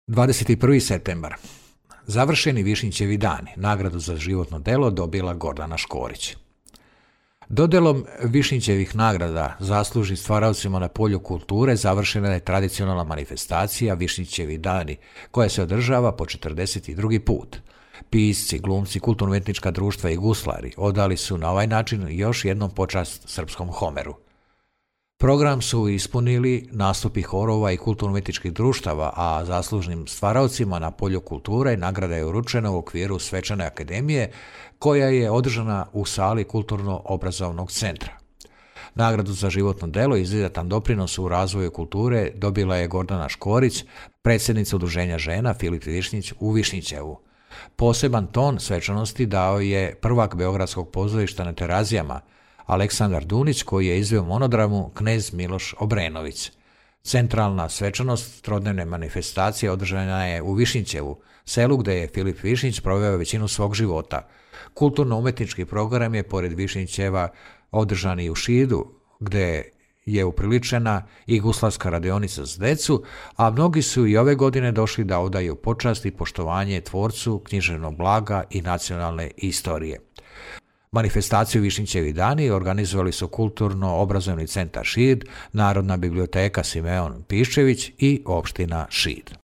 21. septembar. Završeni Višnjićevi dani. Nagradu za životno delo dobila Gordana Škorić. Dodelom Višnjićevih nagrada zaslužnim stvaraocima na polju kulture završena je tradicionalna manifestacija Višnjićevi dani, koja se održava po 42. put. Pisci, glumci, kulturno-umetnička društva i guslari odali su na ovaj način još jednom počast srpskom Homeru. Program su ispunili nastupi horova i kulturno-umetničkih društava, a zaslužnim stvaraocima na polju kulture nagrada je uručena u okviru Svečane akademije, koja je održana u sali Kulturno-obrazovnog centra. Nagradu za životno delo i izuzetan doprinos u razvoju kulture dobila je Gordana Škorić, predsjednica Udruženja žena Filip Višnjić u Višnjićevu. Poseban ton svečanosti dao je prvak Beogradskog pozorišta na Terazijama, Aleksandar Dunić, koji je izveo monodramu Knez Miloš Obrenović. Centralna svečanost trodnevne manifestacije održana je u Višnjićevu, selu gde je Filip Višnjić proveo većinu svog života. Kulturno-umetnički program je pored Višnjićeva održan i u Šidu, gde je upriličena i guslarska radionica za decu, a mnogi su i ove godine došli da odaju počast i poštovanje tvorcu književnog blaga i nacionalne istorije. Manifestaciju Višnjićevi dani organizovali su Kulturno-obrazovni centar Šid, Narodna biblioteka Simeon Piščević i opština Šid.